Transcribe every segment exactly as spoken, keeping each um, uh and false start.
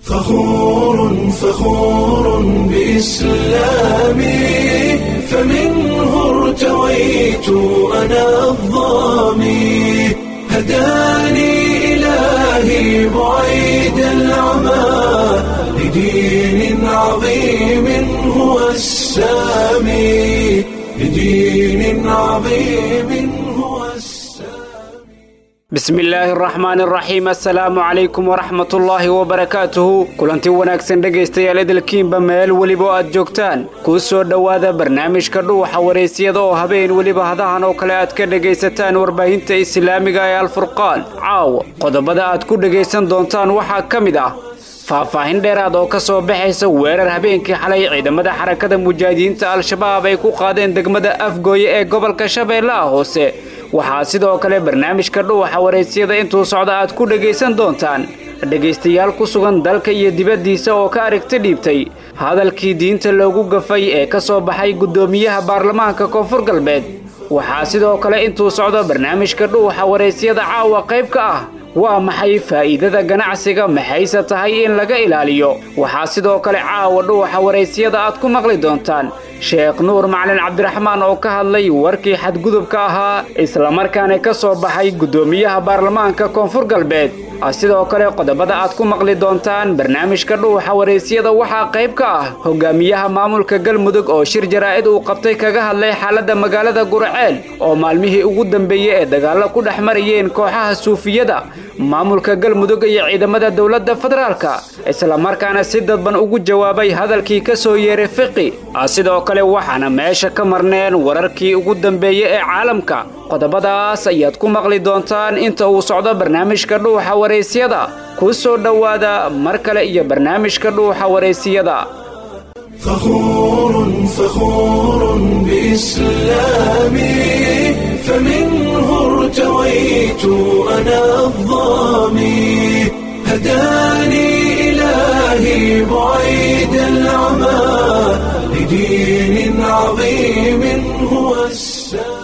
فخور فخور بإسلامي، فمنه ارتويت أنا الظامي، هداني إلهي بعيد العمى لدين عظيم هو السامي، لدين عظيم هو السامي. Bismi illaahi araxmaani araxiim. Assalaamu calaykum waraxmatullaahi wabarakaatuhu. Kulanti wanaagsan dhegaystayaal, idilkiinba meel weliba oo aad joogtaan, kuu soo dhowaada barnaamijka Dhuuxa Wareysiyada oo habeen weliba hadahan oo kale aad ka dhegaysataan warbaahinta islaamiga ee Alfurqaan. Caawa qodobada aad ku dhegaysan doontaan waxaa ka mid ah faahfaahin dheeraad oo ka soo baxaysa weerar habeenkii xalay ciidamada Xarakada Mujaahidiinta Al-Shabaab ay ku qaadeen degmada Afgooye ee gobolka Shabeellaha Hoose. Waxaa sidoo kale barnaamijka Dhuuxa Wareysiyada intuu socda aad ku dhegaysan doontaan dhegaystayaal ku sugan dalka iyo dibaddiisa oo ka aragti dhiibtay hadalkii diinta loogu gafay ee ka soo baxay guddoomiyaha baarlamaanka Koonfur Galbeed. Waxaa sidoo kale intuu socdo barnaamijka Dhuuxa Wareysiyada caawa qayb ka ah: waa maxay faa'iidada ganacsiga, maxayse tahay in laga ilaaliyo? Waxaa sidoo kale caawa Dhuuxa Wareysiyada aad ku maqli doontaan Sheekh Nuur Macalin Cabdiraxmaan oo ka hadlay warkii xadgudubka ahaa islamarkaana ka soo baxay guddoomiyaha baarlamaanka Koonfur Galbeed. Sidoo kale qodobada aad ku maqli doontaan barnaamijka Dhuuxa Wareysiyada waxaa qayb ka ah hogaamiyaha maamulka Galmudug oo shir jaraa'id uu qabtay kaga hadlay xaaladda magaalada Gurceel oo maalmihii ugu dambeeyey ee dagaallo ku dhex marayeen kooxaha suufiyada maamulka Galmudug iyo ciidamada dowladda federaalka, islamarkaana si dadban ugu jawaabay hadalkii ka soo yeeray Fiqi. Sidoo kale waxaana meesha ka marneen wararkii ugu dambeeyey ee caalamka. Qodobadaas ayaad ku maqli doontaan inta uu socdo barnaamijka Dhuuxa Wareysiyada. Ku soo dhowaada mar kale iyo barnaamijka Dhuuxa Wareysiyada. فخور فخور بإسلامي، فمنه ارتويت أنا الظامي، هداني إلهي بعيد العمى لدين عظيم هو السامي.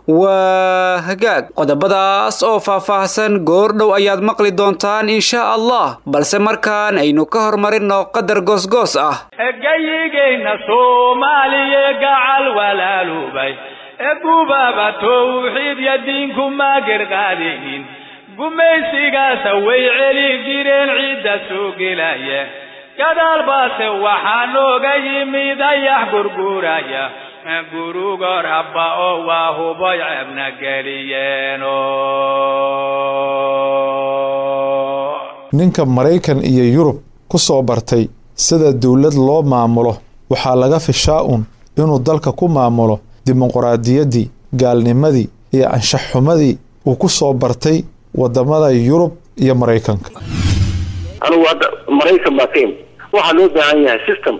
Waa hagaag, qodobadaas oo faahfaahsan goordhow ayaad maqli doontaan insha Allah, balse markaan aynu ka hormarinno qadar goosgoos ah. Gayigeenna Soomaaliya gacal walaalubay, gubaba towxiid ya diinku maagir qaadaynin, gumaysigaasa way celi jireen ciidda soo gelaya. Gadaal baase waxaa nooga yimid ayax gurguraya, gurugo rabba oo waa huboy ceebna geliyeeno. Ninka Maraykan iyo Yurub ku soo bartay sida dowlad loo maamulo waxaa laga fishaa un inuu dalka ku maamulo dimuqraadiyaddii, gaalnimadii iyo anshax xumadii uu ku soo bartay wadamada Yurub iyo Maraykanka. Anigu hadda Maraykan baa ka imid. Waxaa loo baahan yahay system.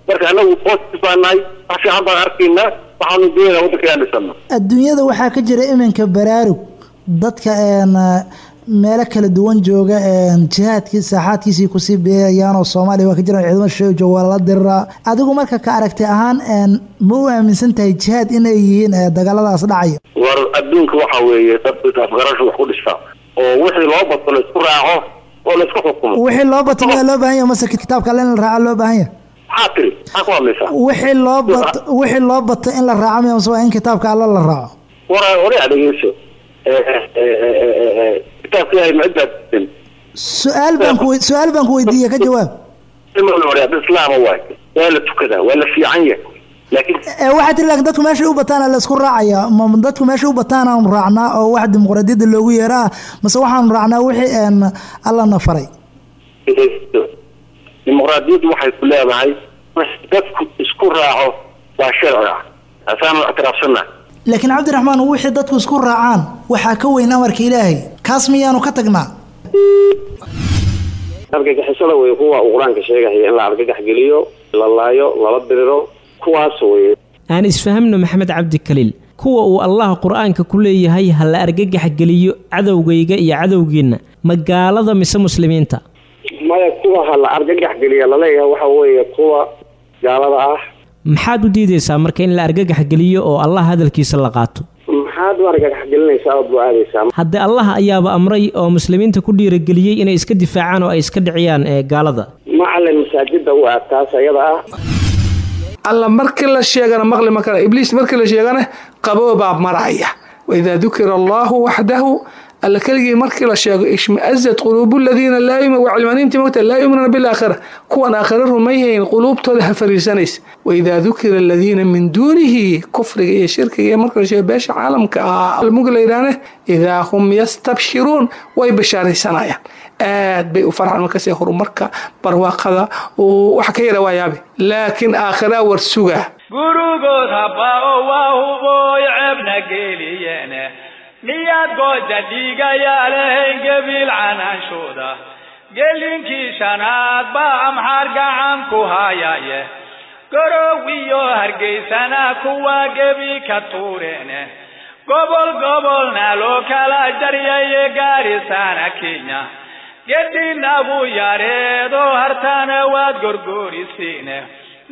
Marka anagu positive baa nahay, wax fiican baan arkaynaa, waxaanu doonayna waddanka inaan dhisano. Adduunyada waxaa ka jira iminka baraarug dadka een meelo kala duwan jooga jihaadkii saaxaadkiisii kusii beerayaan oo Soomaaliya waa ka jiraan ciidamo shisheeye jooga, waa lala diriraa. Adigu marka ka aragtay ahaan ma u aaminsan tahay jihaad inay yihiin dagaaladaas dhacaya? War adduunka waxa weeye dad afgarashu wax ku dhista oo wixii loo bato la isku raaco oo la isku xukumo. Wixii loo bato miyaa loo baahan yahay mase kitaabka alle in la raaco loo baahan yahay? Maxaa tiri? Maxaa ku hadlaysaa? Wixii loo bato, wixii loo bato in la raaco miya mase waa in kitaabka alle la raaco? War oray, dhegeyso, kitaabka Ilaahay ma cid baa Su-aal baan ku su-aal baan ku weydiiyey, ka jawaab. Islaama waay, waa la tukadaa, waa la fiican yahay, laakiin Waxaa tiri laakiin dadku meeshay u bataana la isku raacaya. Ma dadku meeshay u bataan aanu raacnaa oo wax dimuqraadiyadda loogu yeeraa, mase waxaanu raacnaa wixii Alla na faray? Dimuqraadiyaddu waxay ku leedahay wix dadku isku raaco waa sharci ah, asaanu ictiraafsannahay. Laakiin Cabdiraxmaan, wixii dadku isku raacaan waxaa ka weyn amarka Ilaahay, kaas miyaanu ka tagnaa? Argagixisada wey kuwa uu Qur-aanka sheegaya in la argagax geliyo, la laayo, lala diriro, kuwaas wey. Aan isfahamno, Maxamed Cabdi Kaliil. Kuwa uu Allah Qur-aanka ku leeyahay ha la argagax geliyo cadowgayga iyo cadowgiinna, ma gaalada mise muslimiinta? Maya, kuwa ha la argagax geliya laleeyahay waxa weeye kuwa gaalada ah. Maxaad u diidaysaa marka in la argagax geliyo oo Allah hadalkiisa la qaato? Maxaa Maxaad u argagax gelinaysaa ood bu-aadaysaa? Haddee Allah ayaaba amray oo muslimiinta ku dhiirageliyey inay iska difaacaan oo ay iska dhiciyaan ee gaalada. Macalin, masaajida u aad taas ayada ah. Alla markii la sheegana maqli ma kara, Ibliis markii la sheegana qaboobaa maraya. Waidaa dukira Allahu waxdahu, alla keligii markii la sheego, ishmaazat quluubu aladiina laa yumin, waa cilmaaniintii mogta, laa yuminuuna bilaakhira, kuwan aakhira rumayhayn quluubtooda ha fariisanaysa. Waidaa dukira aladiina min duunihi, kufriga iyo shirkiga iyo marka la sheego beesha caalamka ah mugi la yidhaahne, idaa hum yastabshiruun, way bashaaraysanayaan, aad bay u farxaan markaas horumarka barwaaqada wax ka yara waa yaabe, laakiin aakhiraa war sugaa. Gurugood haba-o waa hubooy ceebna geliyene, miyaad gooja dhiigayaa lahayn gebiil canaanshooda? Gelinkii shanaad baa Amxaar gacan ku hayaye, Gorow iyo Hargeysana kuwa gebi ka tuureene, gobol gobolna loo kala jaryaye, Gaarisana Kenya gedinagu yareedo, hartana waad gorgorisiine,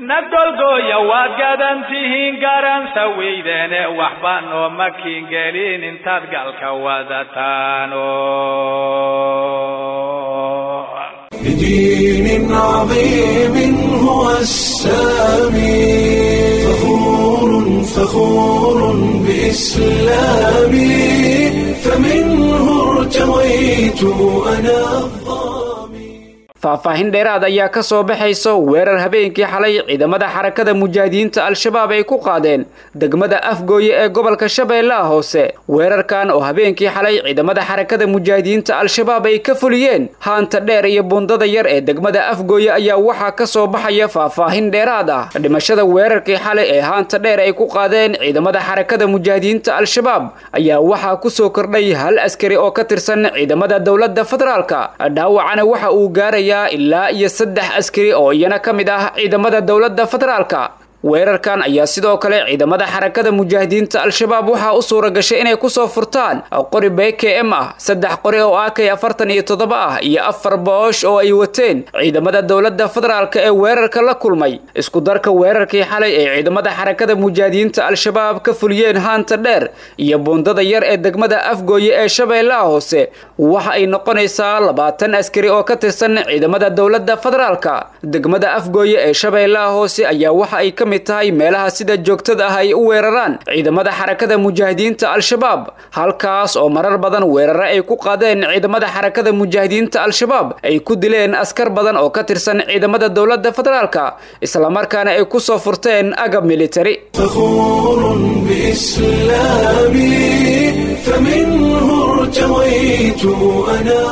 nagolgooya waad gadan tihiin, garansa weydene, waxba nooma kiingelin intaad galka wadataano. بدين عظيم هو السامي، فخور فخور بإسلامي، فمنه ارتويت أنا. Faahfaahin dheeraad ayaa ka soo baxayso weerar habeenkii xalay ciidamada Xarakada Mujaahidiinta Al-Shabaab ay ku qaadeen degmada Afgooye ee gobolka Shabeellaha Hoose. Weerarkan oo habeenkii xalay ciidamada Xarakada Mujaahidiinta Al-Shabaab ay ka fuliyeen haanta dheer iyo bundada yar ee degmada Afgooye ayaa waxaa ka soo baxaya faahfaahin dheeraad ah. Dhimashada weerarkii xalay ee haanta dheer ay ku qaadeen ciidamada Xarakada Mujaahidiinta Al-Shabaab ayaa waxaa ku soo kordhay hal askari oo ka tirsan ciidamada dowladda federaalka, dhaawacana waxa uu gaaraya ilaa iyo saddex askari oo iyana ka mid ah ciidamada dowladda federaalka. Weerarkan ayaa sidoo kale ciidamada Xarakada Mujaahidiinta Al-Shabaab waxaa u suura gashay inay kusoo furtaan qori B K M ah, saddex qori oo A K afartan iyo toddoba ah iyo afar boosh oo ay wateen ciidamada dowladda federaalka ee weerarka la kulmay. Isku darka weerarkii xalay ee ciidamada Xarakada Mujaahidiinta Al-Shabaab ka fuliyeen haanta dheer iyo buundada yar ee degmada Afgooye ee Shabeellaha Hoose waxa ay noqonaysaa labaatan askari oo ka tirsan ciidamada dowladda federaalka. Degmada Afgooye ee Shabeellaha Hoose ayaa waxa ay ka mid tahay meelaha sida joogtada ah ay u weeraraan ciidamada Xarakada Mujaahidiinta Al-Shabaab, halkaas oo marar badan weeraro ay ku qaadeen ciidamada Xarakada Mujaahidiinta Al-Shabaab ay ku dileen askar badan oo ka tirsan ciidamada dowladda federaalka, isla markaana ay ku soo furteen agab military. فخور بإسلامي، فمنه ارتويت أنا.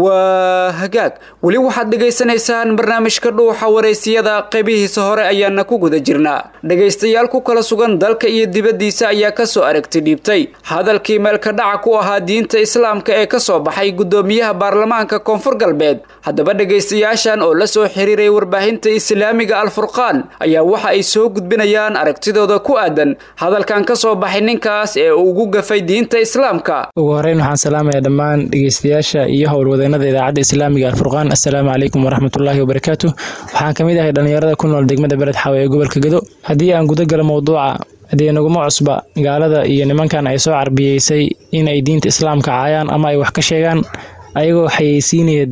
Waa hagaag, weli waxaad dhegaysanaysaan barnaamijka Dhuuxa Wareysiyada, qaybihiisa hore ayaana ku guda jirnaa. Dhegaystayaal ku kala sugan dalka iyo dibaddiisa ayaa kasoo aragti dhiibtay hadalkii meelka dhaca ku ahaa diinta islaamka ee kasoo baxay guddoomiyaha baarlamaanka Koonfur Galbeed. Haddaba dhegaystayaashan oo la soo xiriiray warbaahinta islaamiga Alfurqaan ayaa waxa ay soo gudbinayaan aragtidooda ku aadan hadalkan kasoo baxay ninkaas ee uu ugu gafay diinta islaamka. Ugu horeyn waxaan salaamayaa dhammaan dhegeystayaasha iyo howlwadeenada idaacadda islaamiga Alfurqaan. Assalaamu calaykum waraxmatullaahi wabarakaatu. Waxaan ka mid ahay dhallinyarada ku nool degmada Beled Xaawe ee gobolka Gedo. Haddii aan guda galo mowduuca, dee naguma cusba gaalada iyo nimankan ay soo carbiyeysay in ay diinta islaamka caayaan ama ay wax ka sheegaan, ayagoo xayeysiinaya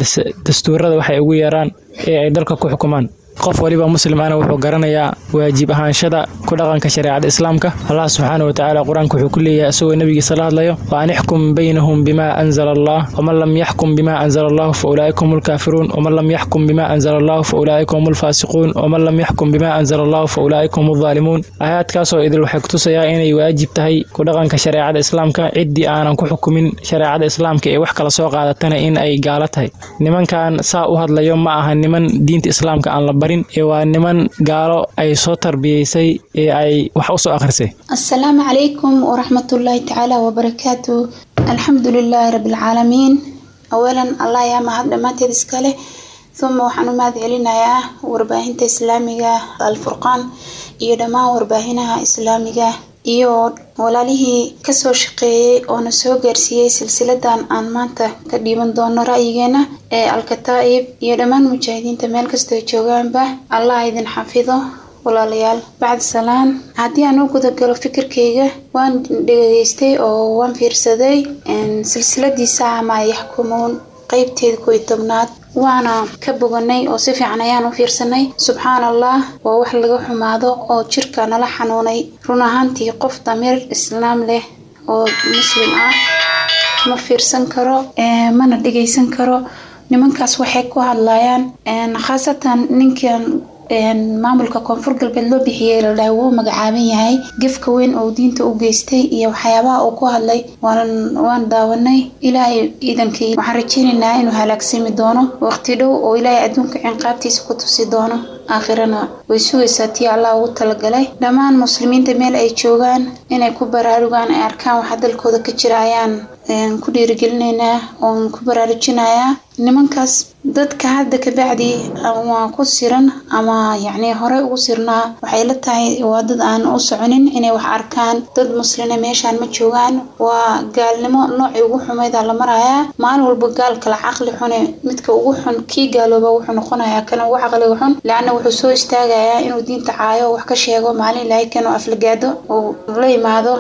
dastuurada waxay ugu yeeraan ee ay dalka ku xukumaan. Qof waliba muslim ahna wuxuu garanayaa waajib ahaanshada ku dhaqanka shareecada islaamka. Allah subxaanahu watacaala qur-aanka wuxuu ku leeyahay isagoo nabigiisa la hadlayo: wa an ixkum baynahum bima anzala Allah, waman lam yaxkum bima anzala allahu fa ulaa'ika hum lkaafiruun, waman lam yaxkum bima anzala allahu fa ulaa'ika hum lfaasiquun, waman lam yaxkum bima anzala allahu fa ulaa'ika hum aldaalimuun. Aayaadkaasoo idil waxay kutusayaa inay waajib tahay ku dhaqanka shareecada islaamka. Ciddii aanan ku xukumin shareecada islaamka ee wax kala soo qaadatana in ay gaalo tahay. Nimankan saa u hadlayo ma aha niman diinta islaamka aan la barin, ee waa niman gaalo ay soo tarbiyeysay ee ay wax u soo akhrisay. Assalaamu calaykum waraxmatullaahi tacaala wabarakaatu. Alxamdu lilaahi rabbilcaalamiin. Awalan Allah yaa mahad dhammaanteed iskale, uma waxaan u mahad celinayaa warbaahinta islaamiga Alfurqaan iyo dhammaan warbaahinaha islaamiga iyo walaalihii kasoo shaqeeyey oona soo gaarsiiyey silsiladan aan maanta ka dhiiban doono ra'yigeena ee Alkataa'ib, iyo dhammaan mujaahidiinta meel kastoo joogaanba, Allah idin xafido. Walaalayaal, bacdi salaan, haddii aan u gudagalo fikirkayga, waan dhegeystay oo waan fiirsaday silsiladiisa ama yaxkumuun qeybteeda kow iyo tobnaad, waana ka boganay oo si fiican ayaan u fiirsanay. Subxaan Allah, waa wax laga xumaado oo jirka nala xanuunay. Run ahaantii, qof damiir islaam leh oo muslim ah ma fiirsan karo, mana dhegeysan karo nimankaas waxay ku hadlayaan, khaasatan ninkan maamulka Koonfur Galbeed loo bixiyey la dhahay wuu magacaaban yahay. Gefka weyn oo diinta u geystay iyo waxyaabaha uu ku hadlay waan waan daawanay. Ilaahay iidankii waxaan rajeynaynaa inuu halaagsami doono waqti dhow oo Ilaahay adduunka cinqaabtiisa ku tusi doono, aakhirana way sugaysaa tii Allah ugu talagalay. Dhammaan muslimiinta meel ay joogaan inay ku baraarugaan, ay arkaan waxa dalkooda ka jira ayaan ku dhiirigelinaynaa oon ku baraarujinayaa. Nimankaas dadka hadda kabacdi waa ku siran ama yacni horey ugu sirnaa, waxay la tahay waa dad aan u soconin inay wax arkaan. Dad muslina meeshaan ma joogaan, waa gaalnimo noocii ugu xumaydaa la marayaa. Maalin walba gaal kala caqli xune, midka ugu xun kii gaalooba wuxuu noqonayaa kana ugu caqliga xun, laanna wuxuu soo istaagayaa inuu diinta caayo, wax ka sheego, maalin Ilaahay kanuu aflagaado uu la yimaado.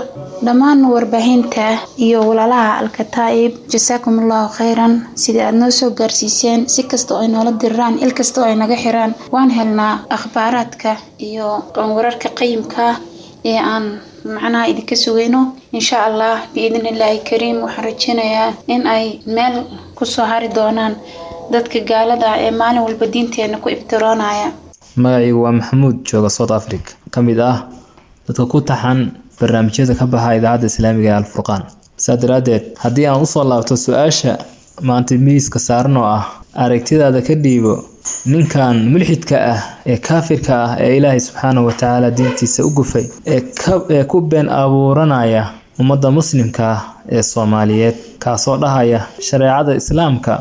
Dhammaan warbaahinta iyo walaalaha Alkataa'ib, jasaakum Allahu khayran sidii aad noo soo gaarsiiseen. Si kasta oo ay noola diriraan, il kasta oo ay naga xiraan, waan helnaa akhbaaraadka iyo wararka qayimka ee aan macnaha idinka sugayno. Insha Allah, biidni Illaahi kariim, waxaan rajeynayaa in ay meel kusoo hari doonaan dadka gaalada ee maalin walba diinteena ku iftiroonaya. Magacaygu waa Maxamuud, jooga South Africa, ka mid ah dadka ku taxan barnaamijyada ka baxa Idaacadda Islaamiga ee Alfurqaan. Saa daraaddeed, haddii aan usoo laabto su-aasha maanta miiska saaran oo ah aragtidaada ka dhiibo ninkan mulxidka ah ee kaafirka ah ee Ilaahay subxaanahu watacaala diintiisa u gufay ee ee ku been abuuranaya ummadda muslimka ah ee Soomaaliyeed, kaasoo dhahaya shareecada islaamka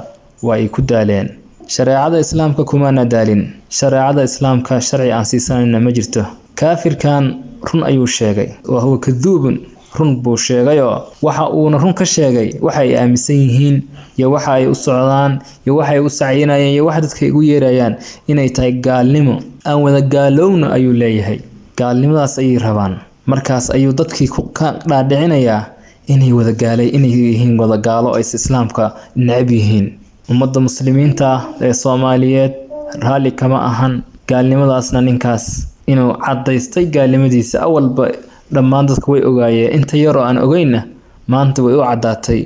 waa ay ku daaleen. Shareecada islaamka kumaana daalin, shareecada islaamka sharci aan siisanayna ma jirto. Kaafirkan run ayuu sheegay, wa huwa kaduubun, run buu sheegayoo waxa uuna run ka sheegay waxa ay aaminsan yihiin iyo waxa ay u socdaan iyo waxa ay u sacyinayaan iyo waxa dadka igu yeerayaan inay tahay gaalnimo. Aan wada gaalowna ayuu leeyahay, gaalnimadaas ayay rabaan. Markaas ayuu dadkii ka dhaadhicinayaa inay wadagaalay, inay yihiin wadagaalo, ays islaamka necab yihiin. Ummadda muslimiinta ah ee Soomaaliyeed raalli kama ahan gaalnimadaasna. Ninkaas inuu caddaystay gaalnimadiisa awalba dhammaan dadka way ogaayeen, inta yaroo aan ogeynna maanta way u caddaatay.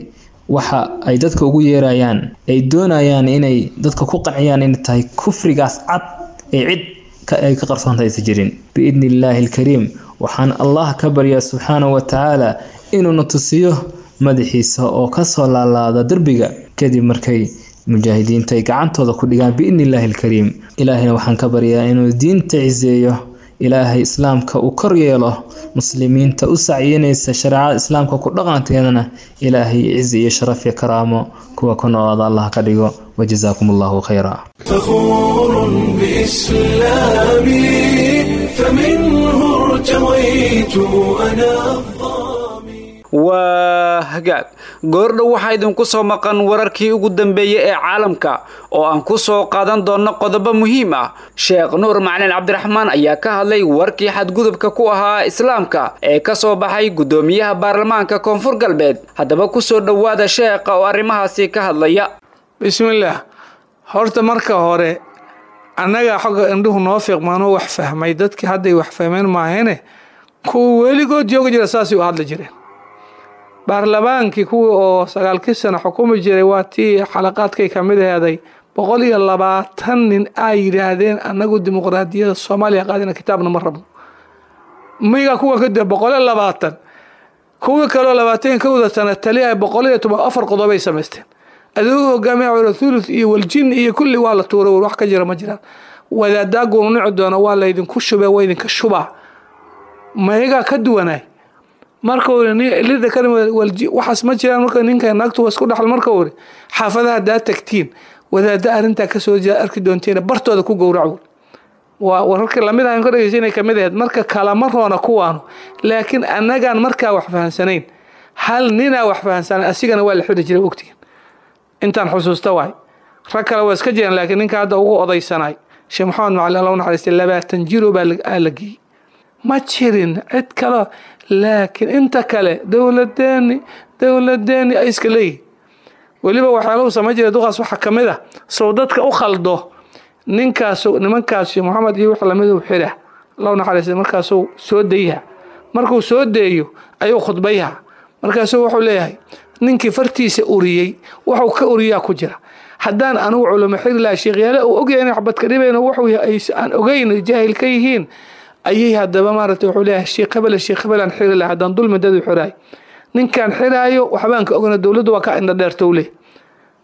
Waxa ay dadka ugu yeerayaan ay doonayaan inay dadka ku qanciyaan inay tahay kufrigaas cad ee cid ay ka qarsoonta aysan jirin. Biidni Illaahi alkariim, waxaan Allah ka baryaa subxaanahu wa tacaala inuuna tusiyo madaxiisa oo kasoo laalaada derbiga kadib markay mujaahidiinta ay gacantooda ku dhigaan, biidni Illaahi alkariim. Ilaahayna waxaan ka baryaa inuu diinta ciseeyo, Ilaahay islaamka uu kor yeelo, muslimiinta u sacyinaysa shareecada islaamka ku dhaqanteedana Ilaahay cizi iyo sharaf iyo karaamo kuwa ku noolaada Allah ka dhigo. Wajazaakum Allahu khayra. فخور بإسلامي، فمنه ارتويت أنا Waa hagaag, goordhow waxaa idinku soo maqan wararkii ugu dambeeyey ee caalamka oo aan ku soo qaadan doonno qodobo muhiim ah. Sheekh Nuur Macalin Cabdiraxmaan ayaa ka hadlay warkii xadgudubka ku ahaa islaamka ee ka soo baxay guddoomiyaha baarlamaanka Koonfur Galbeed. Haddaba ku soo dhowaada sheekha oo arrimahaasi ka hadlaya. Bismillaah. Horta marka hore, annaga xogga indhuhu noo fiiqmaanoo wax fahmay, dadkii hadday wax fahmeen maahane, kuwa weligood joogi jira saasay u hadli jireen. Baarlamaankii kuwii oo sagaalkii sano xukumi jiray, waa tii xalaqaadkay ka mid aheeday, boqol iyo labaatan nin ay yidhaahdeen annagu dimuqraadiyadda Soomaaliya qaadina, kitaabna ma rabno. Miga kuwa kadib boqol iyo labaatan, kuwii kaloo labaatan kowda sano taliya, boqol iyo toban afar qodobay samaysteen. Adigu hogaamiya cula thuluth iyo waljin iyo kulli waa la tuuray, wax ka jira ma jiraan. Wadaadaa gumnici doona waa laydinku shubee, waa idinka shubaa, mayagaa ka duwanaay. Marka lida waxaas ma jiraan. Marka ninka naagtu waa isku dhaxal. Marka uri xaafadaha haddaa tagtiin, wadaada arrintaa kasoo jeeda arki doontiin, bartooda ku gowrac. Waa wararkii lamid ahan ka dhegeysa inay kamid ahayd. Marka kalama roona kuwaanu, laakiin annagaan markaa wax fahansanayn, hal ninaa wax fahansanay, asigana waa la xidhi jiray ogtigan intaan xusuusta waay. Rag kale waa iska jiraan, laakiin ninka hadda ugu odaysanay Sheekh Maxamed Macalin Allah u naxariistay labaatan jiro baa la geeyey. Ma jirin cid kale, laakiin inta kale dowladeeni dowladeeni ay iska leeyihin. Weliba waxyaalahu samayn jiray duqaas waxaa ka mid ah sow dadka u khaldo ninkaas, nimankaas Sheekh Maxamed iyo wax lamid u xira Allah u naxariistay, markaasuu soo dayha. Markuu soo deeyo ayuu khudbayha, markaasuu wuxuu leeyahay ninkii fartiisa uriyey wuxuu ka uriyaa ku jira. Haddaan anugu culimo xiri lahaa sheekhyaale uu ogyahay inay waxbad ka dhibayno, wuxuu aan ogeyn jaahil ka yihiin ayay haddaba maaragtay wuxuu leeyahay sheekh hebel sheekh hebel aan xiri lahaa haddaan dulmi dad u xiraay, ninkaan xiraayo waxbaan ka ogna, dowladdu waa ka indha dheertow leh.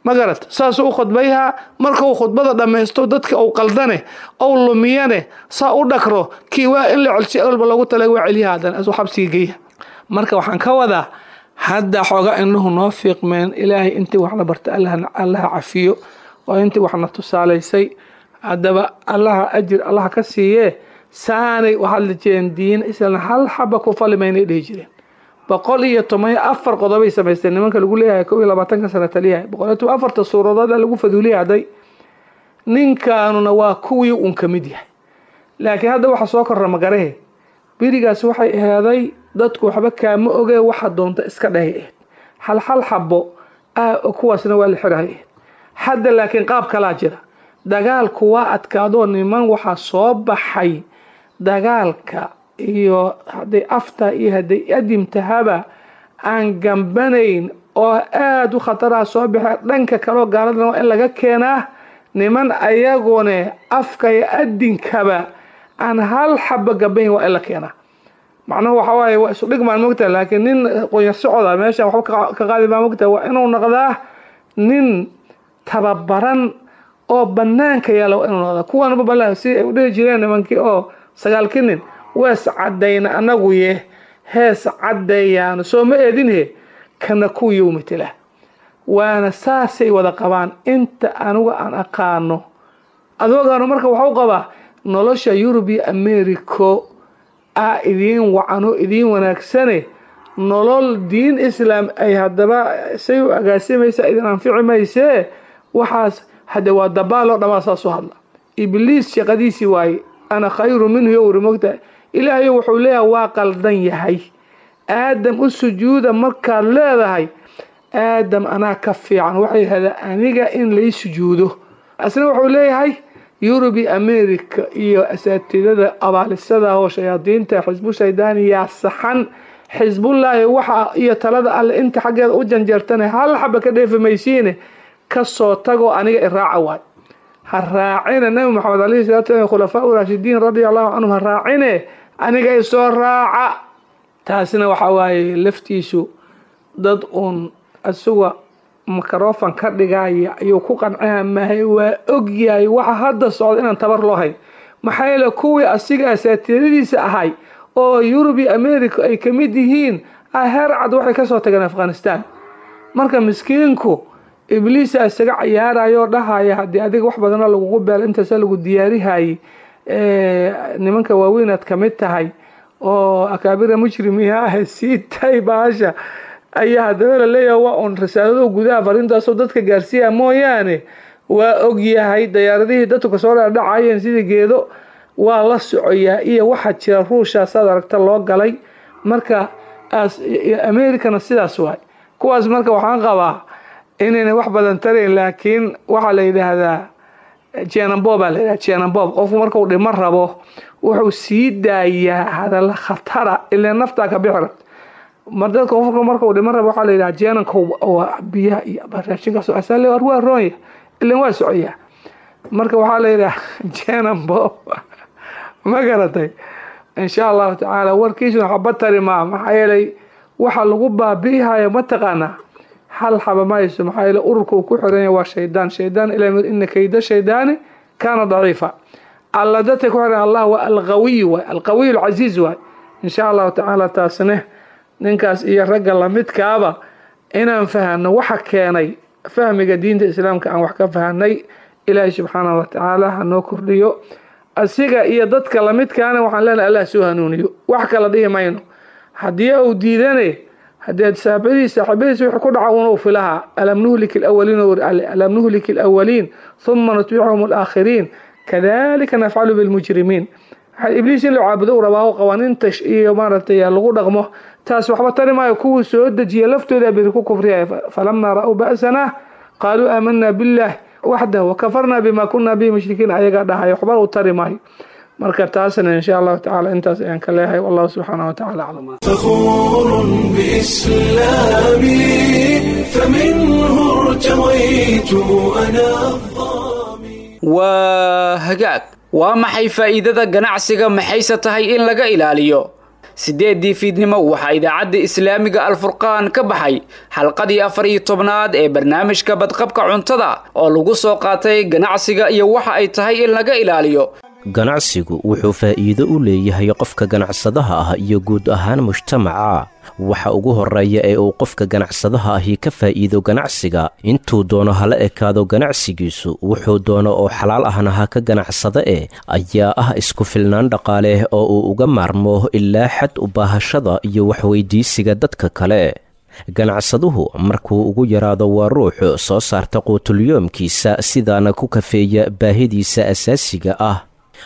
Ma garat? Saasuu u khudbayhaa. Markuu khudbada dhammaysto dadka uu qaldane ou lumiyane saa u dhakro kii waa in la celshay walba loogu talay waa celiyaha, haddana asuu xabsiga geeya. Marka waxaan ka wadaa hadda xooga indhuhu noo fiiqmeen. Ilaahay intii waxna barta Allaha cafiyo, oo intii waxna tusaalaysay haddaba Allaha ajir Allaha ka siiyee. Saanay u hadli jireen diin islan hal xaba ku fali maynay dhihi jireen. Boqol iyo toban iyo afar qodobay samaysteen nimanka lagu leeyahay kow iyo labaatanka sano taliyahay, boqol iyo toban afarta suuradood lagu faduuliyay hadday. Ninkaanuna waa kuwii uun ka mid yahay, laakiin hadda waxa soo korra magarahe. Berigaas waxay aheeday dadku waxba kaama ogee waxa doonta iska dhahay ahayd, hal hal xabo ah kuwaasna waa la xirahay ahayd. Hadda laakiin qaab kalaa jira, dagaalku waa adkaadoo niman waxaa soo baxay dagaalka iyo hadday afta iyo hadday adimtahaba aan gambanayn oo aada u khataraha soo baxee. Dhanka kaleo gaaladana waa in laga keenaa niman ayagune afka iyo adinkaba aan hal xaba gambayn, waa in la keenaa. Macnuhu waxa waaye waa isu dhigmaan mogtaha, laakiin nin qoyar socoda meeshan waxba ka qaadi maa mogtaha. Waa inuu noqdaa nin tababaran oo banaanka yaala, waa inuu noqdaa kuwanba bala si ay u dhihi jireen nimankii oo sagaalkii nin wees caddayna anagu ye hees caddeeyaano soo ma eedinhe kana kuwiiu matela. Waana saasay wada qabaan inta anigu aan aqaano. Adoogaanu marka waxau qabaa nolosha Yurub iyo Americo a idiin wacano idiin wanaagsane, nolol diin islaam ay haddaba say u agaasimaysa idin anfici maysee. Waxaas hadde waa dabaaloo dhamaa saasoo hadla. Ibliis shaqadiisii waaye, ana khayru minhu yo wuri mogtahay. Ilaahayo wuxuu leeyahay waa qaldan yahay, aadam u sujuuda markaad leedahay aadam anaa ka fiican, waxay yidhahdaa aniga in lay sujuudo. Asna wuxuu leeyahay Yurubi America iyo asaatidada abaalisada oo shayaadiinta xisbu shaydaani yaa saxan, xisbullaahi waxa iyo talada alle inta xaggeeda u janjeertane hal xaba ka dheefi maysiine, kasoo tagoo aniga iraaca waay. Ha raacina Nabi Maxamed alayhi salaatu wasalam khulafaa raashidiin radia allahu canhum, ha raacine aniga isoo raaca. Taasina waxa waaye laftiisu dad uun isuga mikrofon ka dhigaya ayuu ku qancaya mahay. Waa ogyahay waxa hadda socda inaan tabar loo hayn, maxaa yeele kuwii asiga asaatiiradiisa ahay oo Yurub iyo America ay ka mid yihiin heer cad waxay kasoo tageen Afghanistan. Marka miskiinku ibliisa isaga cayaarayoo dhahaya haddii adiga wax badana lagugu beelo intaasa lagu diyaarihayay, nimanka waaweynaad ka mid tahay oo akaabira mujrimiha ah sii tay baasha ayaa haddaba la leeyahay waa uun risaalado gudaha fariintaasoo dadka gaarsiiya mooyaane. Waa ogyahay dayaaradihii dadku kasoo dhacayeen sidii geedo waa la socoyaa iyo waxaa jira ruushaasaad aragta loo galay. Marka Americana sidaas waay kuwaas. Marka waxaan qabaa inayna wax badan tarayn, laakiin waxaa la yidhaahdaa jenambob baa la yidhahdaa jenambob. Qofku markuu dhimo rabo wuxuu sii daayaa hadalla khatara ilaa naftaa ka bixi rabta. Mar dadka qofku markuu dhimo rabo waxaa la yidhaha jenanka waa biyaha iyo raashinkaas asale waa roonya ilan waa socoyaa. Marka waxaa la yidhaha jenambob ma garatay. Insha allahu tacaala warkiisuna xaba tari maa, maxaa yeelay waxa lagu baabi'ihayo mataqaanaa hal xaba mayso, maxaa yeele ururka uu ku xiran yahay waa shaydaan. Shaydaan ilaa ina kayda shaydaani kaana daciifa. Alla dadka ku xiran Allah waa alqawiy waay, alqawiy alcasiiz waay. Insha allahu tacaala taasne ninkaas iyo ragga lamidkaaba inaan fahanno waxa keenay fahmiga diinta islaamka aan wax ka fahanay. Ilaahay subxaanahu watacaala hanoo kordhiyo asiga iyo dadka lamidkaana. Waxaan leenahay Allah soo hanuuniyo, wax kala dhihi mayno. Haddii uu diidane haddii saaxiibadiis saaxiibadiis wuxuu ku dhaca uun uu filaha alam nuhlik alawaliin, alam nuhlik alawaliin thumma nutbicuhum alaakhiriin. Kadalika nafcalu bilmujrimiin. Ibliis in la caabudo u rabaa oo qawaaniinta iyo maaragtay lagu dhaqmo, taas waxba tari maayo. Kuwii soo dejiya laftooda biri ku kufriyaya. Falamaa ra'uu ba'sana qaaluu aamanaa billah waxdahu wakafarnaa bima kunaa bihi mushrikiin, ayagaa dhahay, waxba u tari maayo. Marka taasna insha Allahu tacaala intaas ayaan ka leeyahay. Wallahu subxaanahu watacaala aclam. فخور بإسلامي فمنه ارتويت أنا Waa hagaag. Waa maxay faa'iidada ganacsiga, maxayse tahay in laga ilaaliyo? Sideedii fiidnimo waxaa idaacadda islaamiga Alfurqaan ka baxay xalqadii afar iyo tobnaad ee barnaamijka badqabka cuntada oo lagu soo qaatay ganacsiga iyo waxa ay tahay in laga ilaaliyo. Ganacsigu wuxuu faa'iido u leeyahay qofka ganacsadaha ah iyo guud ahaan mujtamaca. Waxa ugu horreeya ee uu qofka ganacsadaha ahi ka faa'iido ganacsiga, intuu doono hala ekaado ganacsigiisu, wuxuu doono oo xalaal ahna ha ka ganacsada eh, ayaa ah isku filnaan dhaqaale oo uu uga maarmo ilaa xad u baahashada iyo waxweydiisiga dadka kale. Ganacsaduhu markuu ugu yaraado waa ruux soo saarta quutulyoomkiisa, sidaana ku kafeeya baahidiisa asaasiga ah.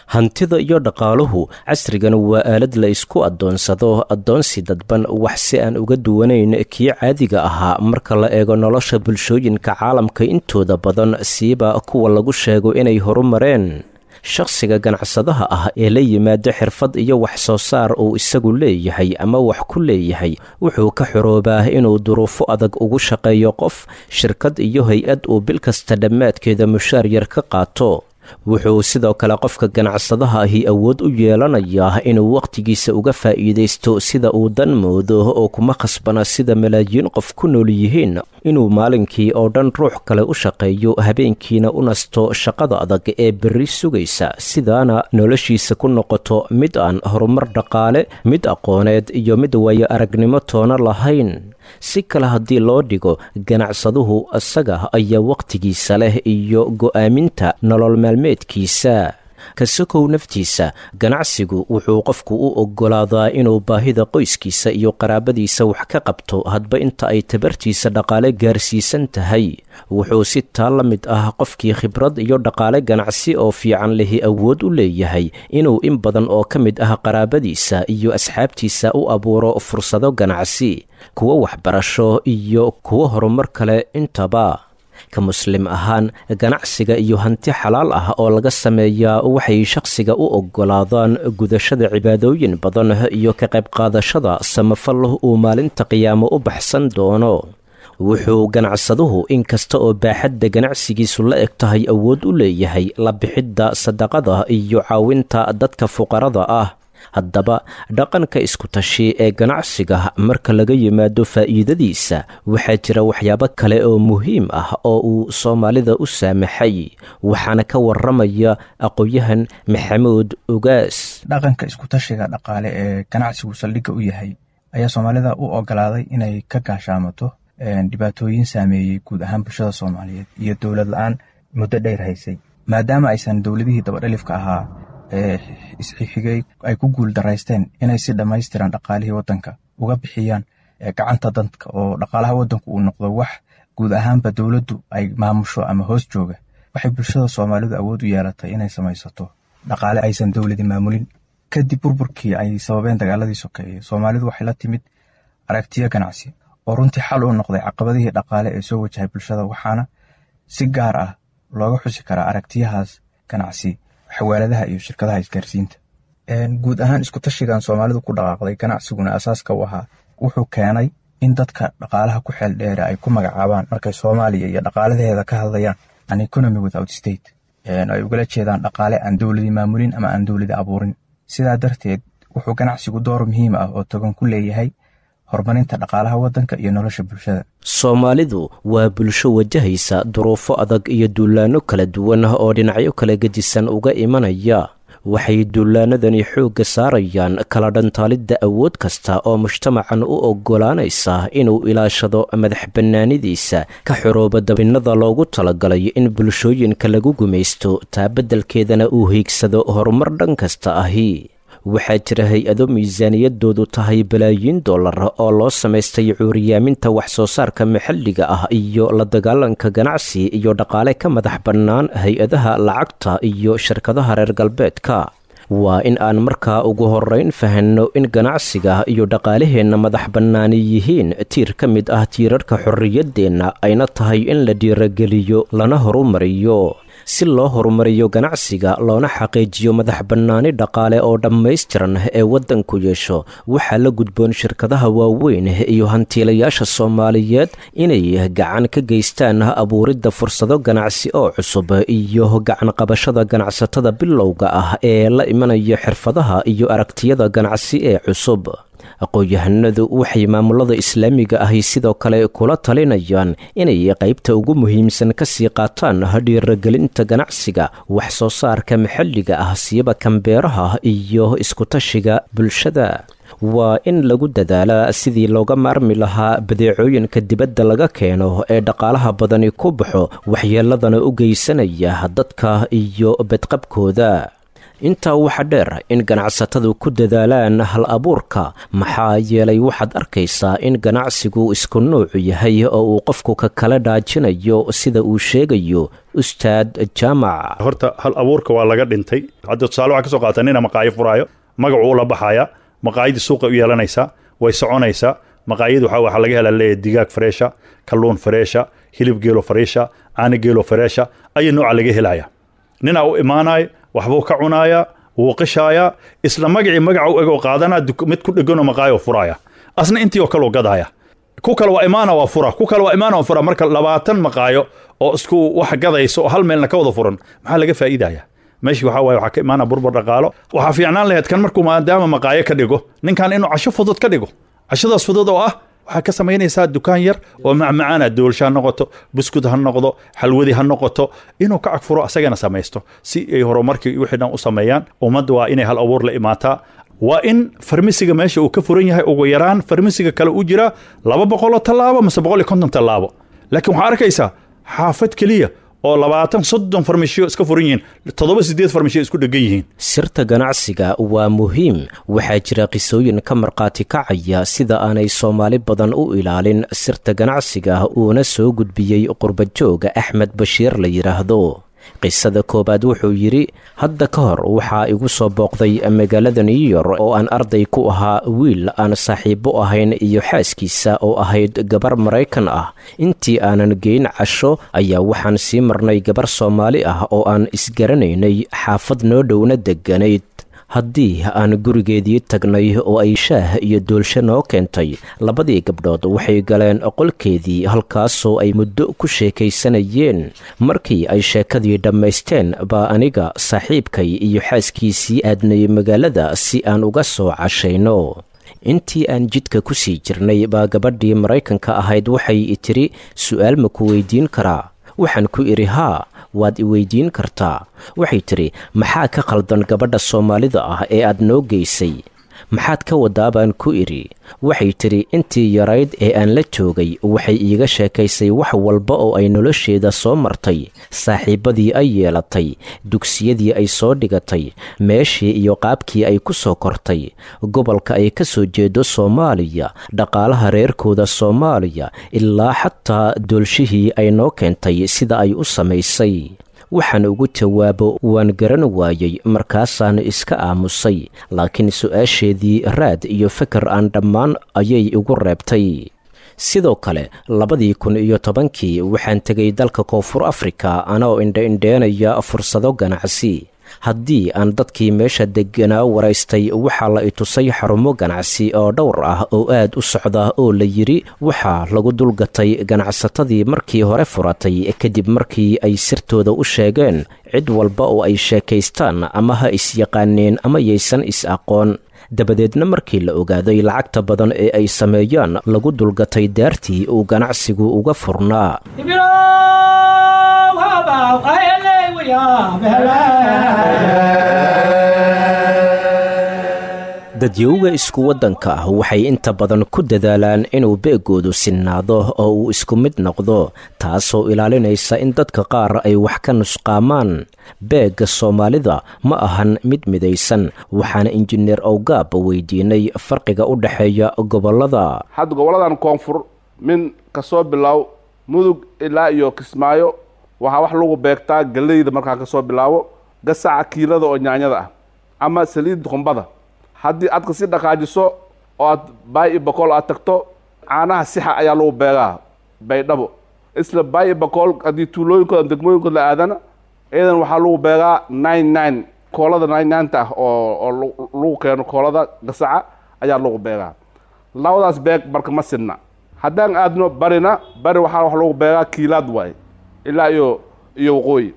Hantida iyo dhaqaaluhu casrigan waa aalad la isku addoonsado, addoonsi dadban, wax si aan uga duwanayn kii caadiga ahaa marka la eego nolosha bulshooyinka caalamka intooda badan, siiba kuwa lagu sheego inay horumareen. Shakhsiga ganacsadaha ah ee la yimaada xirfad iyo wax soo saar uu isagu leeyahay ama wax ku leeyahay wuxuu ka xoroobaa inuu duruufo adag ugu shaqeeyo qof, shirkad iyo hay-ad uu bil kasta dhammaadkeeda mushaar yar ka qaato. Wuxuu sidoo kale qofka ganacsadaha ahi awood u yeelanayaa inuu wakhtigiisa uga faa'iidaysto sida uu dan moodo, oo kuma khasbana sida malaayiin qof ku nool yihiin inuu maalinkii oo dhan ruux kale u shaqeeyo, habeenkiina u nasto shaqada adag ee berri sugaysa, sidaana noloshiisa ku noqoto mid aan horumar dhaqaale, mid aqooneed iyo mid waayo aragnimo toona lahayn. Si kale haddii loo dhigo, ganacsaduhu isaga ayaa wakhtigiisa leh iyo go'aaminta nolol maalmeedkiisa. Kasakow naftiisa, ganacsigu wuxuu qofku u oggolaadaa inuu baahida qoyskiisa iyo qaraabadiisa wax ka qabto hadba inta ay tabartiisa dhaqaale gaarsiisan tahay. Wuxuu si taa la mid ah qofkii khibrad iyo dhaqaale ganacsi oo fiican lihi awood u leeyahay inuu in badan oo ka mid ah qaraabadiisa iyo asxaabtiisa u abuuro fursado ganacsi, kuwo waxbarasho iyo kuwo horumar kale intaba. Ka muslim ahaan, ganacsiga iyo hanti xalaal ah oo laga sameeyaa waxay shakhsiga u oggolaadaan gudashada cibaadooyin badan iyo ka qayb qaadashada samafal uu maalinta qiyaamo u baxsan doono. Wuxuu ganacsaduhu inkasta oo baaxadda ganacsigiisu la eg tahay awood u leeyahay la bixidda sadaqada iyo caawinta dadka fuqarada ah. Haddaba dhaqanka iskutashi ee ganacsiga marka laga yimaado faa'iidadiisa, waxaa jira waxyaabo kale oo muhiim ah oo uu soomaalida u saamaxay, waxaana ka waramaya aqoon-yahan Maxamuud Ugaas. Dhaqanka iskutashiga dhaqaale ee ganacsigu saldhigga u yahay ayaa soomaalida u ogolaaday inay ka gaashaamato dhibaatooyin saameeyey guud ahaan bulshada Soomaaliyeed iyo dowlad la-aan muddo dheer haysay, maadaama aysan dowladihii dabadhalifka ahaa ee isxigxigay ay ku guul daraysteen inay si dhammaystiran dhaqaalihii waddanka uga bixiyaan gacanta dadka, oo dhaqaalaha waddanku uu noqdo wax guud ahaanba dowladdu ay maamusho ama hoos jooga. Waxay bulshada Soomaalidu awood u yeelatay inay samaysato dhaqaale aysan dowladi maamulin. Kadib burburkii ay sababeen dagaaladii sokeeye, Soomaalidu waxay la timid aragtiyo ganacsi oo runtii xal u noqday caqabadihii dhaqaale ee soo wajahay bulshada, waxaana si gaar ah looga xusi karaa aragtiyahaas ganacsi xawaaladaha iyo shirkadaha isgaarsiinta. Guud ahaan iskutashigan Soomaalidu ku dhaqaaqday, ganacsiguna asaaska u ahaa, wuxuu keenay in dadka dhaqaalaha ku xeel dheere ay ku magacaabaan markay Soomaaliya iyo dhaqaalaheeda ka hadlayaan an economy without state, ay ugala jeedaan dhaqaale aan dowladi maamulin ama aan dowladi abuurin. Sidaa darteed wuxuu ganacsigu door muhiim ah oo togan ku leeyahay horumarinta dhaqaalaha waddanka iyo nolosha bulshada. Soomaalidu waa bulsho wajahaysa duruufo adag iyo duulaanno kala duwan oo dhinacyo kala gedisan uga imanaya. Waxay duulaanadani xoogga saarayaan kala dhantaalidda awood kasta oo mujtamacan u oggolaanaysa inuu ilaashado madax bannaanidiisa, ka xorooba dabinnada loogu talagalay in bulshooyinka lagu gumaysto, taa beddelkeedana uu hiigsado horumar dhan kasta ahi. Waxaa jira hay-ado miisaaniyadoodu tahay balaayiin dollar oo loo samaystay cuuriyaaminta wax soo saarka maxalliga ah iyo la dagaalanka ganacsi iyo dhaqaale ka madax bannaan hay-adaha lacagta iyo shirkadaha reer galbeedka. Waa in aan markaa ugu horrayn fahanno in ganacsiga iyo dhaqaalaheenna madax bannaani yihiin tiir ka mid ah tiirarka xorriyaddeenna, ayna tahay in la dhiirageliyo lana horumariyo. Si loo horumariyo ganacsiga loona xaqiijiyo madax bannaani dhaqaale oo dhammaystiran ee waddanku yeesho, waxaa la gudboon shirkadaha waaweyn iyo hantiilayaasha Soomaaliyeed inay gacan ka geystaan abuuridda fursado ganacsi oo cusub iyo gacan qabashada ganacsatada bilowga ah ee la imanaya xirfadaha iyo aragtiyada ganacsi ee cusub. Aqoon-yahanadu waxay maamulada islaamiga ahi sidoo kale kula talinayaan inay qaybta ugu muhiimsan ka sii qaataan dhiiragelinta ganacsiga, wax soo saarka maxalliga ah, siiba kambeeraha iyo iskutashiga bulshada. Waa in lagu dadaalaa sidii looga maarmi lahaa badeecooyinka dibadda laga keeno ee dhaqaalaha badani ku baxo, waxyeeladana u geysanaya dadka iyo bedqabkooda. Intaa waxaa dheer in ganacsatadu ku dadaalaan hal abuurka, maxaa yeelay waxaad arkaysaa in ganacsigu isku nuucu yahay oo uu qofku ka kala dhaajinayo, sida uu sheegayo Ustaad Jaamac. Horta hal abuurka waa laga dhintay. Hadda tusaale waxaa ka soo qaata nina maqaayo furaayo, magacuu ula baxaya, maqaayadii suuqa u yeelanaysaa, way soconaysaa. Maqaayadi waxaa waxaa laga helaa leeyahay digaag freesha, kalluun freesha, hilib geelo freesha, caano geelo freesha, ayaa nooca laga helaya. Ninaa u imaanayo, waxbuu ka cunayaa, wuu qishaayaa, isla magacii magaca u egoo qaadanaa, mid ku dheganoo maqaayo furaaya, asna intii oo kaleu gadaaya. Ku kale waa imaana waa fura, ku kale waa imaana waa fura. Marka labaatan maqaayo oo isku wax gadayso oo hal meelna ka wada furan, maxaa laga faa'iidaya? Meeshii waxaa waaye waxaa ka imaana burbur dhaqaalo. Waxaa fiicnaan lahayd kan markuu maadaama maqaayo ka dhigo ninkan inuu casho fudud ka dhigo. Cashadaas fudud oo ah waxaa ka samaynaysaa dukaan yar oo macmacaana, doolsha ha noqoto, buskud ha noqdo, xalwadi ha noqoto, inuu ka cagfuro asagana samaysto si ay horumarkii wixii dhan u sameeyaan. Ummadda waa inay hal abuur la imaataa. Waa in farmisiga meesha uu ka furan yahay ugu yaraan farmisiga kale u jiraa laba boqoloo tallaabo mise boqol iyo konton tallaabo, laakiin waxaa arkaysaa xaafad keliya oo labaatan soddon farmashiyo iska furan yihiin, toddoba sideed farmashiyo isku dhegan yihiin. Sirta ganacsiga waa muhiim. Waxaa jira qisooyin ka markhaati kacaya sida aanay Soomaali badan u ilaalin sirta ganacsiga, uuna soo gudbiyey qurbajooga Axmed Bashiir la yidhaahdo. Qisada koowaad wuxuu yidhi: hadda ka hor waxaa igu soo booqday magaalada New York oo aan arday ku ahaa wiil aan saaxiibo ahayn iyo xaaskiisa oo ahayd gabar Maraykan ah. Intii aanan geyn casho ayaa waxaan sii marnay gabar Soomaali ah oo aan isgaranaynay, xaafad noo dhowna degganayd. Haddii aan gurigeedii tagnay oo ay shaah iyo doolsho noo keentay, labadii gabdhood waxay galeen qolkeedii, halkaasoo ay muddo ku sheekaysanayeen. Markii ay sheekadii dhammaysteen baa aniga, saaxiibkay iyo xaaskiisii aadnay magaalada si aan uga soo cashayno. Intii aan jidka ku sii jirnay baa gabadhii Maraykanka ahayd waxay i tidhi, su'aal ma ku weydiin karaa? Waxaan ku idhi, haa, waad i weydiin kartaa. Waxay tidhi, maxaa ka khaldan gabadha Soomaalida ah ee aad noo geysay? Maxaad ka wadaa, baan ku idhi. Waxay tidhi, intii yarayd ee aan la joogay waxay iiga sheekaysay wax walba oo ay nolosheeda soo martay, saaxiibbadii ay yeelatay, dugsiyadii ay soo dhigatay, meeshii iyo qaabkii ay ku soo kortay, gobolka ay ka soo jeedo Soomaaliya, dhaqaalaha reerkooda Soomaaliya, ilaa xataa doolshihii ay noo keentay sida ay u samaysay. Waxaan ugu jawaabo waan garan waayey, markaasaan iska aamusay, laakiin su-aasheedii raad iyo fikir aan dhammaan ayay igu reebtay. Sidoo kale labadii kun iyo tobankii waxaan tegay dalka Koonfur Afrika anoo indha-indheenaya fursado ganacsi. Haddii aan dadkii meesha degganaa waraystay, waxaa la itusay xarumo ganacsi oo dhowr ah oo aad u socda oo la yidhi waxaa lagu dulgatay ganacsatadii markii hore furatay, kadib markii ay sirtooda u sheegeen cid walba oo ay sheekaystaan, ama ha is-yaqaaneen ama yaysan is-aqoon. Dabadeedna markii la ogaaday lacagta badan ee ay sameeyaan, lagu dulgatay daartii uu ganacsigu uga furnaa. Dadyowga isku waddanka ah waxay inta badan ku dadaalaan inuu beegoodu sinnaado oo uu isku mid noqdo, taasoo ilaalinaysa in dadka qaar ay wax ka nusqaamaan. Beegga Soomaalida ma ahan mid midaysan, waxaana injineer Owgaab weydiinay farqiga u dhexeeya gobollada. Hadda gobolladan koonfur min kasoo bilow Mudug ilaa iyo Kismaayo waxaa wax lagu beegtaa galleyda. Markaa kasoo bilaabo gasaca kiilada oo nyaanyada ah ama saliid qumbada, haddii aad kasii dhaqaajiso oo aad Baay iyo Bakool aad tagto, caanaha sixa ayaa lagu beegaa Baydhabo. Isla Baay iyo Bakool haddii tuulooyinkooda ama degmooyinkooda la aadana, iyadan waxaa lagu beegaa nine nine koolada nine nineta ah oo oo lagu keeno koolada gasaca ayaa lagu beegaa. Labadaas beeg marka ma sinna. Haddaan aadno barina, bari waxaa wax lagu beegaa kiilaad waaye ilaa iyo iyo waqooyi.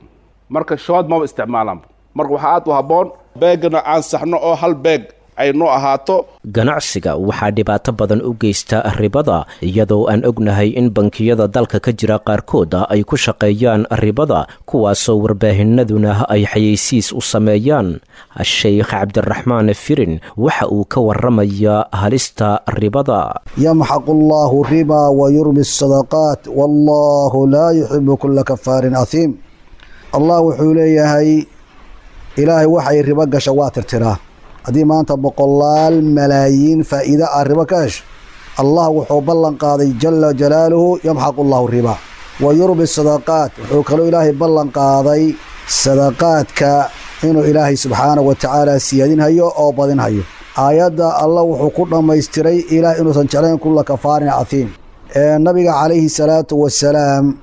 Marka shood maba isticmaalaan. Marka waxaa aad u habboon beegana aan saxno oo hal beeg ay noo ahaato. Ganacsiga waxaa dhibaato badan u geysta ribada, iyadoo aan ognahay in bankiyada dalka ka jira qaarkood ay ku shaqeeyaan ribada, kuwaasoo warbaahinaduna ay xayeysiis u sameeyaan. Sheikh Cabdiraxmaan Firin waxa uu ka waramayaa halista ribada. Yamxaqu allahu riba wayurbi sadaqaat wallahu laa yuxibu kula kafaarin ahiim. Allah wuxuu leeyahay, Ilaahay waxay ribo gasha waa tirtiraa. Haddii maanta boqolaal malaayiin faa'iide ah ribo ka hesho, Allah wuxuu ballan qaaday jala jalaaluhu yamxaqu allahu riba wa yurbi sadaqaat. Wuxuu kaloo Ilaahay ballan qaaday sadaqaadka inuu Ilaahay subxaanahu wa tacaala siyaadinhayo oo badinhayo. Aayadda Allah wuxuu ku dhammaystiray Ilaah inuusan jeclayn kulla kafaarin caiim. Nabiga calayhi salaatu wasalaam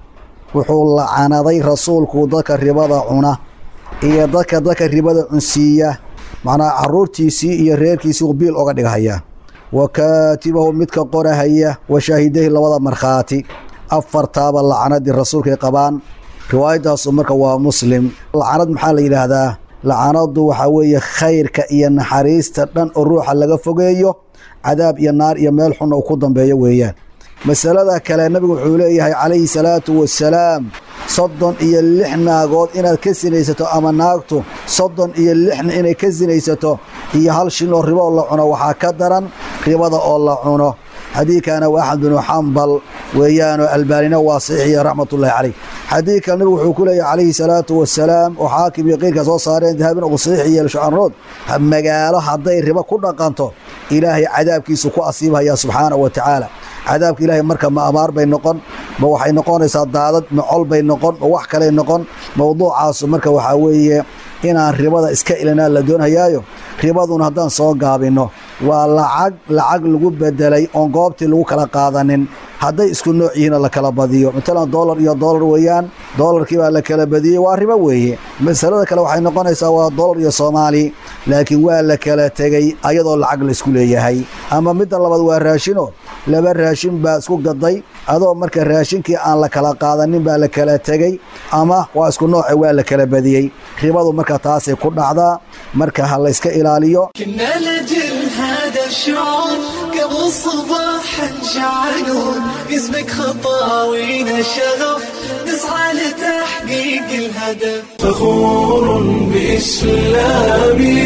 wuxuu lacanaday rasuulku dadka ribada cuna iyo dadka dadka ribada cunsiiya, macnaha caruurtiisii iyo reerkiisii uu biil oga dhighayaa, wa kaatibahu midka qorahaya, wa shaahidahi labada markhaati. Afartaaba lacnadii rasuulkay qabaan. Riwaayadaasu marka waa Muslim. Lacnad maxaa la yidhaahdaa? Lacanadu waxaa weeye khayrka iyo naxariista dhan oo ruuxa laga fogeeyo, cadaab iyo naar iyo meel xunna uu ku dambeeyo weeyaan. Masalada kale, nabigu wuxuu leeyahay calayhi salaatu wasalaam, soddon iyo lix naagood inaad ka sinaysato ama naagtu soddon iyo lixna inay ka sinaysato iyo hal shin oo ribo oo la cuno waxaa ka daran ribada oo la cuno. Xadiidkana waa Axmed binu Xambal weeyaanoo Albaanina waa saxiixiya raxmatullahi caleyh. Xadiidka nabigu wuxuu ku leeyahy calayhi salaatu wasalaam, oo xaakim iyo qeyrka soo saareen, dahabin uu saxiix yeelo shucanrood, magaalo hadday ribo ku dhaqanto Ilaahay cadaabkiisu ku asiibhaya subxaanahu wa tacaala. Cadaabka Ilaahay marka ma abaar bay noqon, ma waxay noqonaysaa daadad, ma col bay noqon, ma wax kaley noqon. Mowduucaasu marka waxaa weeye inaan ribada iska ilinaa la doonhayaayo. Ribaduna haddaan soo gaabinno waa lacag lacag lagu bedelay oon goobtii lagu kala qaadanin, hadday isku nooc yihiinoo la kala badiyo. Matalan doolar iyo doolar weeyaan, doolarkii baa la kala badiyey, waa ribo weeye. Masalada kale waxay noqonaysaa waa doolar iyo Soomaali, laakiin waa la kala tegey ayadoo lacag la isku leeyahay. Ama midda labaad waa raashino, laba raashin baa isku gaday adoo marka raashinkii aan la kala qaadanin baa la kala tegey, ama waa isku nooce waa la kala badiyey. Ribadu marka taasay ku dhacdaa, marka ha la iska ilaaliyo. كنا لجل هذا الشعور قبل الصباح نشعلون يسبق خطاوينا الشغف نسعى لتحقيق الهدف. فخور بإسلامي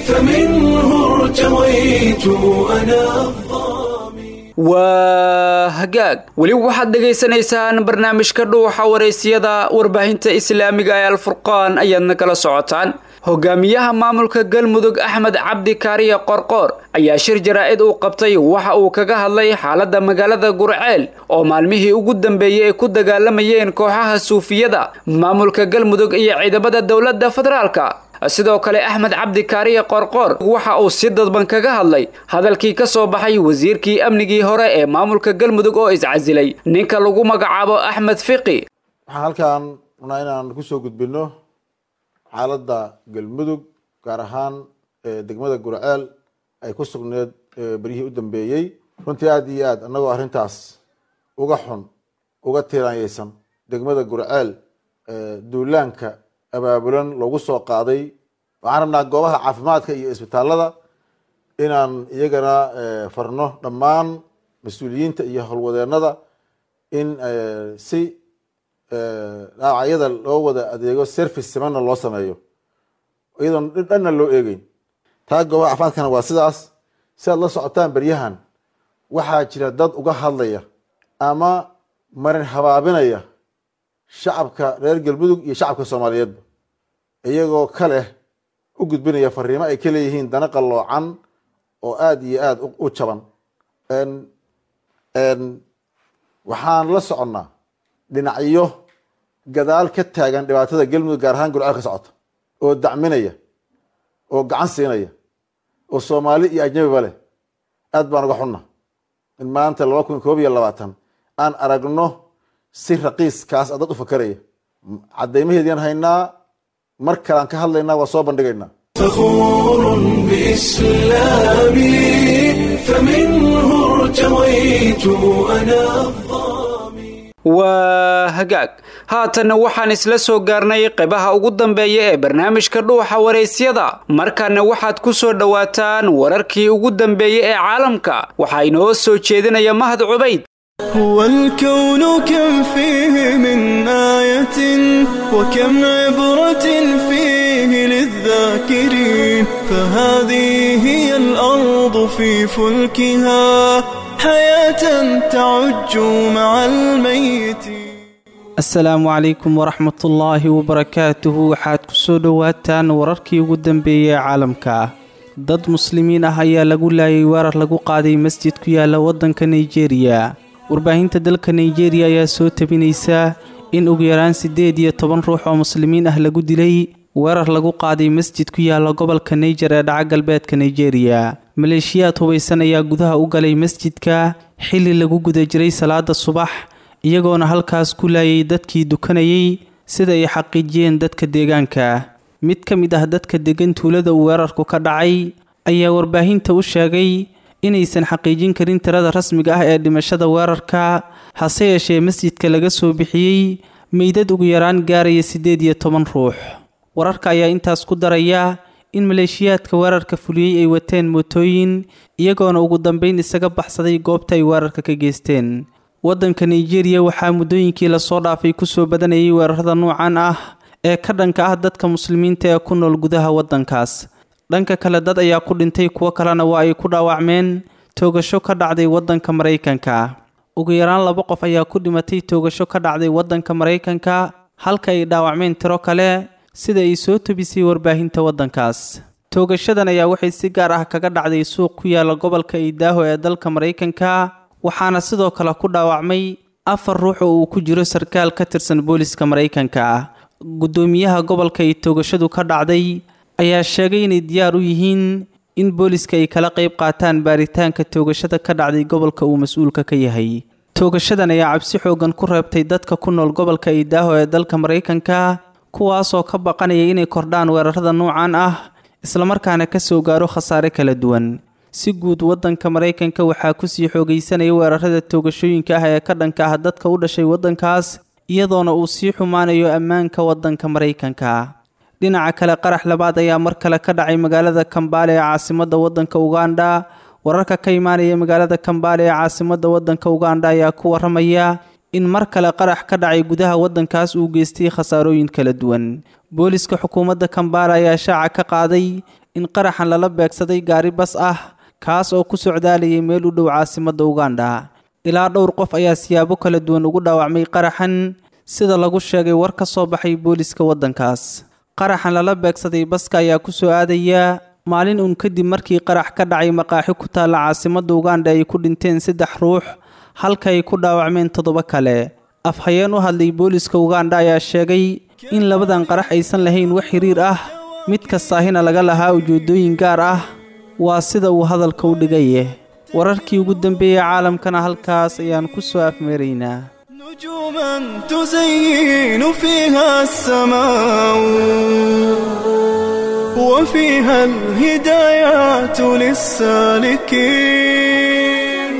فمنه ارتويت أنا Waa hagaag, weli waxaad dhegaysanaysaan barnaamijka Dhuuxa Wareysiyada warbaahinta islaamiga ee Alfurqaan ayaadna kala socotaan. Hogaamiyaha maamulka Galmudug Axmed Cabdi Kaariye Qorqoor ayaa shir jaraa'id uu qabtay waxa uu kaga hadlay xaaladda magaalada Gurceel oo maalmihii ugu dambeeyey ay ku dagaalamayeen kooxaha suufiyada, maamulka Galmudug iyo ciidamada dowladda federaalka. Sidoo kale Axmed Cabdi Kaariye Qorqoor waxa uu si dadban kaga hadlay hadalkii ka soo baxay wasiirkii amnigii hore ee maamulka Galmudug oo iscasilay, ninka lagu magacaabo Axmed Fiqi. Waxaan halkaan rabnaa inaan kusoo gudbino xaaladda Galmudug, gaar ahaan degmada Gurceel ay ku sugneed beryihii u dambeeyey. Runtii aada iyo aad annagoo arrintaas uga xun, uga tiiraanyeysan degmada Gurceel duulaanka abaabulan loogu soo qaaday, waxaan rabnaa goobaha caafimaadka iyo isbitaalada inaan iyagana farno dhammaan mas-uuliyiinta iyo howlwadeennada in si dhaawacyada loo wada adeego, service simanna loo sameeyo iyadoon dhanna loo eegeyn. Taa goobaha caafimaadkana waa sidaas. Si aad la socotaan beryahan waxaa jira dad uga hadlaya ama marin habaabinaya shacabka reer Galmudug iyo shacabka Soomaaliyeedba, iyagoo ka leh u gudbinaya fariimo ay ka leeyihiin dana qalloocan oo aada iyo aada u jaban. Waxaan la soconnaa dhinacyo gadaal ka taagan dhibaatada Galmudug, gaar ahaan Gurceel ka socota, oo dacminaya oo gacan siinaya oo Soomaali iyo ajnabiba leh. Aad baan uga xunna in maanta laba kun koob iyo labaatan aan aragno si raqiiskaas dad u fakaraya. Caddaymaheediaan haynaa, mar kalean ka hadlaynaa, waa soo bandhigaynaa. فخور بإسلامي فمنه ارتويت أنا Waa hagaag, haatanna waxaan isla soo gaarnay qaybaha ugu dambeeya ee barnaamijka Dhuuxa Waraysyada. Markaana waxaad ku soo dhowaataan wararkii ugu dambeeyey ee caalamka. Waxaa inoo soo jeedinaya Mahad Cubayd. هو الكون كم فيه من آية وكم عبرة فيه للذاكرين، فهذه هي الأرض في فلكها حياة تعج مع الميت. Asalaamu calaykum waraxmatullaahi wabarakaatuhu. Waxaad kusoo dhowaataan wararkii ugu dambeeyey ee caalamka. Dad muslimiin ah ayaa lagu laayay weerar lagu qaaday masjid ku yaala waddanka Nigeria. Warbaahinta dalka Nigeria ayaa soo tabinaysa in ugu yaraan siddeed iyo toban ruux oo muslimiin ah lagu dilay weerar lagu qaaday masjid ku yaala gobolka Niger ee dhaca galbeedka Nigeria. Maleeshiyaad hubaysan ayaa gudaha u galay masjidka xilli lagu guda jiray salaada subax, iyagoona halkaas ku laayay dadkii dukanayay, sida ay xaqiijiyeen dadka deegaanka. Mid ka mid ah dadka degan tuulada uu weerarku ka dhacay ayaa warbaahinta u sheegay inaysan xaqiijin karin tirada rasmiga ah ee dhimashada weerarka, hase yeeshee masjidka laga soo bixiyey meydad ugu yaraan gaaraya siddeed iyo toban ruux. Wararka ayaa intaas ku daraya in maleeshiyaadka weerarka fuliyey ay wateen mootooyin, iyagoona ugu dambeyn isaga baxsaday goobta ay weerarka ka geysteen. Waddanka Nigeria waxaa muddooyinkii lasoo dhaafay kusoo badanayay weerarada nuucan ah ee ka dhanka ah dadka muslimiinta ee ku nool gudaha waddankaas. Dhanka kale, dad ayaa ku dhintay, kuwo kalena waa ay ku dhaawacmeen toogasho ka dhacday waddanka Maraykanka. Ugu yaraan laba qof ayaa ku dhimatay toogasho ka dhacday waddanka Maraykanka, halka ay dhaawacmeen tiro kale, sida ay soo tebisay warbaahinta waddankaas. Toogashadan ayaa waxay si gaar ah kaga dhacday suuq ku yaala gobolka Idaho ee dalka Maraykanka, waxaana sidoo kale ku dhaawacmay afar ruux oo uu ku jiro sarkaal ka tirsan booliska Maraykanka. Guddoomiyaha gobolka ay toogashadu ka dhacday ayaa sheegay inay diyaar u yihiin in booliska ay kala qayb qaataan baaritaanka toogashada ka dhacday gobolka uu mas-uulka ka yahay. Toogashadan ayaa cabsi xoogan ku reebtay dadka ku nool gobolka Idaho ee dalka Maraykanka, kuwaasoo ka baqanaya inay kordhaan weerarada nuucan ah, islamarkaana ka soo gaaro khasaare kala duwan. Si guud, waddanka Maraykanka waxaa kusii xoogaysanaya weerarada toogashooyinka ah ee ka dhanka ah dadka u dhashay waddankaas, iyadoona uu sii xumaanayo ammaanka waddanka Maraykanka. Dhinaca kale, qarax labaad ayaa mar kale ka dhacay magaalada Kambaale ee caasimadda waddanka Uganda. Wararka ka imaanaya magaalada Kambaale ee caasimadda waddanka Uganda ayaa ku waramaya in mar kale qarax ka dhacay gudaha waddankaas uu geystay khasaarooyin kala duwan. Booliska xukuumadda Kambaale ayaa shaaca ka qaaday in qaraxan lala beegsaday gaari bas ah, kaas oo ku socdaalayay meel u dhow caasimadda Uganda. Ilaa dhowr qof ayaa siyaabo kala duwan ugu dhaawacmay qaraxan, sida lagu sheegay war ka soo baxay booliska waddankaas. Qaraxan lala beegsaday baska ayaa ku soo aadaya maalin uun kadib markii qarax ka dhacay maqaaxi ku taalla caasimadda Uganda ay ku dhinteen saddex ruux, halka ay ku dhaawacmeen toddoba kale. Afhayeen u hadlay booliska Uganda ayaa sheegay in labadan qarax aysan lahayn wax xiriir ah, mid kastaahina laga lahaa ujeedooyin gaar ah, waa sida uu hadalka u dhigaye. Wararkii ugu dambeeyey caalamkana halkaas ayaan ku soo afmeeraynaa. نجوما تزين فيها السماء وفيها الهدايات للسالكين،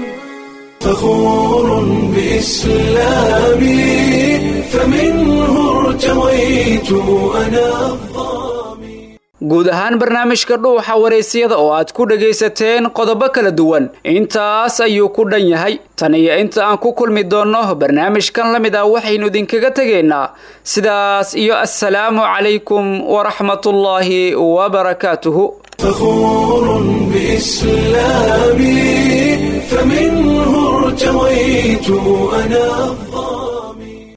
فخور بإسلامي فمنه ارتويت أنا Guud ahaan barnaamijka Dhuuxa Wareysiyada oo aad ku dhagaysateen qodobo kala duwan intaas ayuu ku dhan yahay. Tan iyo inta aan ku kulmi doonno barnaamijkan la mid ah, waxaynu idinkaga tegaynaa sidaas iyo assalaamu calaykum waraxmatullaahi wabarakaatuhu. فخور بإسلامي، فمنه ارتويت أنا.